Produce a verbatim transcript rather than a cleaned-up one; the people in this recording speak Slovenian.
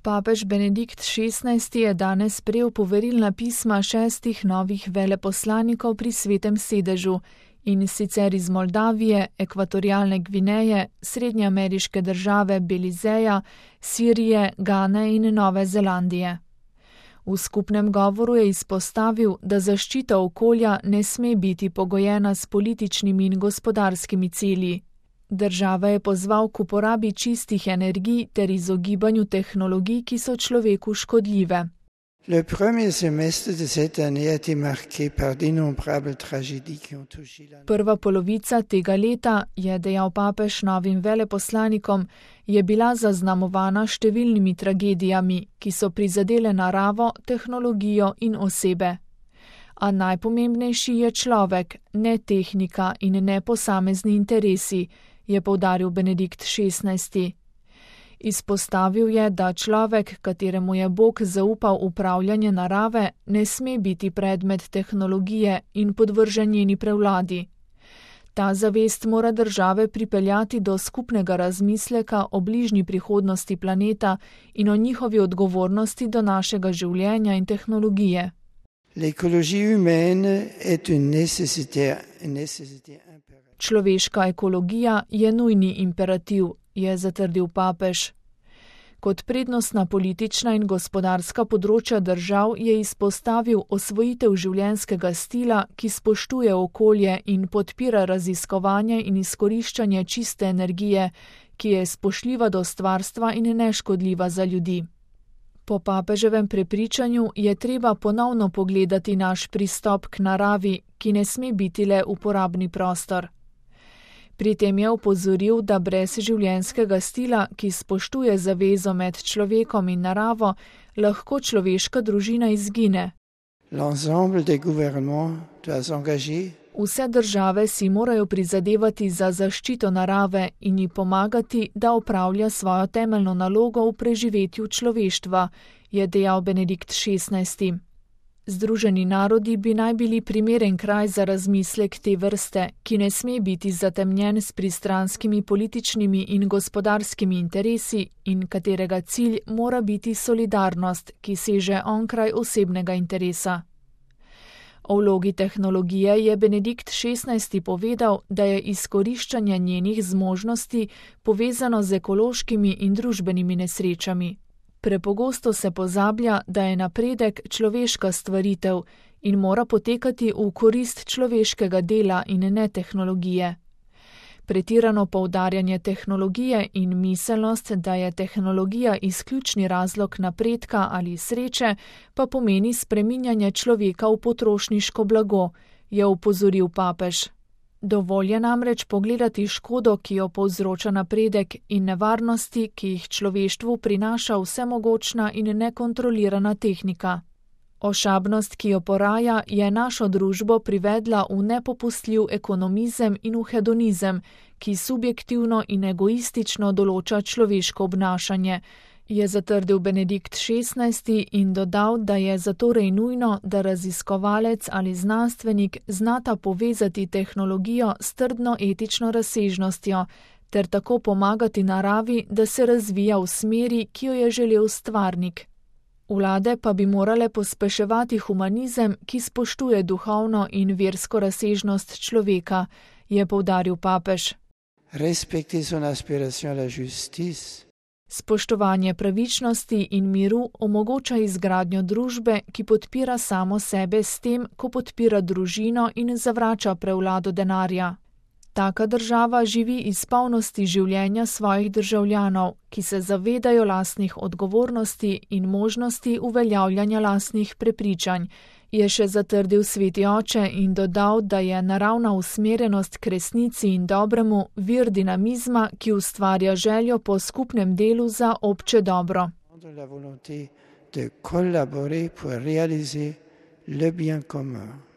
Papež Benedikt šestnajsti je danes sprejel poverilna pisma šestih novih veleposlanikov pri Svetem sedežu, in sicer iz Moldavije, Ekvatorialne Gvineje, srednjeameriške države Belizeja, Sirije, Gane in Nove Zelandije. V skupnem govoru je izpostavil, da zaščita okolja ne sme biti pogojena s političnimi in gospodarskimi cilji. Država je pozval k uporabi čistih energij ter izogibanju tehnologij, ki so človeku škodljive. Le premier semestre de cette année a été marqué par d'innombrables tragédies qui ont touché la... Prva polovica tega leta, je dejal papež novim veleposlanikom, je bila zaznamovana številnimi tragedijami, ki so prizadele naravo, tehnologijo in osebe. A najpomembnejši je človek, ne tehnika in ne posamezni interesi, je poudaril Benedikt šestnajsti. Izpostavil je, da človek, kateremu je Bog zaupal upravljanje narave, ne sme biti predmet tehnologije in podvržen njeni prevladi. Ta zavest mora države pripeljati do skupnega razmisleka o bližnji prihodnosti planeta in o njihovi odgovornosti do našega življenja in tehnologije. L'écologie humaine est une nécessité, une nécessité impérative. Človeška ekologija je nujni imperativ, je zatrdil papež. Kot prednostna politična in gospodarska področja držav je izpostavil osvojitev življenjskega stila, ki spoštuje okolje in podpira raziskovanje in izkoriščanje čiste energije, ki je spoštljiva do stvarstva in neškodljiva za ljudi. Po papeževem prepričanju je treba ponovno pogledati naš pristop k naravi, ki ne sme biti le uporabni prostor. Pri tem je opozoril, da brez življenjskega stila, ki spoštuje zavezo med človekom in naravo, lahko človeška družina izgine. L'ensemble des gouvernements doit s'engager. Vse države si morajo prizadevati za zaščito narave in ji pomagati, da opravlja svojo temeljno nalogo v preživetju človeštva, je dejal Benedikt šestnajsti. Združeni narodi bi naj bili primeren kraj za razmislek te vrste, ki ne sme biti zatemnjen s pristranskimi političnimi in gospodarskimi interesi in katerega cilj mora biti solidarnost, ki seže onkraj osebnega interesa. O vlogi tehnologije je Benedikt šestnajsti povedal, da je izkoriščanje njenih zmožnosti povezano z ekološkimi in družbenimi nesrečami. Prepogosto se pozablja, da je napredek človeška stvaritev in mora potekati v korist človeškega dela in ne tehnologije. Pretirano poudarjanje tehnologije in miselnost, da je tehnologija izključni razlog napredka ali sreče, pa pomeni spreminjanje človeka v potrošniško blago, je opozoril papež. Dovolj je namreč pogledati škodo, ki jo povzroča napredek in nevarnosti, ki jih človeštvu prinaša vsemogočna in nekontrolirana tehnika. Ošabnost, ki jo poraja, je našo družbo privedla v nepopustljiv ekonomizem in v hedonizem, ki subjektivno in egoistično določa človeško obnašanje, je zatrdil Benedikt šestnajsti in dodal, da je zatorej nujno, da raziskovalec ali znanstvenik znata povezati tehnologijo s trdno etično razsežnostjo ter tako pomagati naravi, da se razvija v smeri, ki jo je želel stvarnik. Vlade pa bi morale pospeševati humanizem, ki spoštuje duhovno in versko razsežnost človeka, je poudaril papež. Respecter son aspiration à la justice. Spoštovanje pravičnosti in miru omogoča izgradnjo družbe, ki podpira samo sebe s tem, ko podpira družino in zavrača prevlado denarja. Taka država živi iz polnosti življenja svojih državljanov, ki se zavedajo lastnih odgovornosti in možnosti uveljavljanja lastnih prepričanj, je še zatrdil sveti oče in dodal, da je naravna usmerjenost k resnici in dobremu vir dinamizma, ki ustvarja željo po skupnem delu za obče dobro. La volonté de collaborer pour réaliser le bien commun.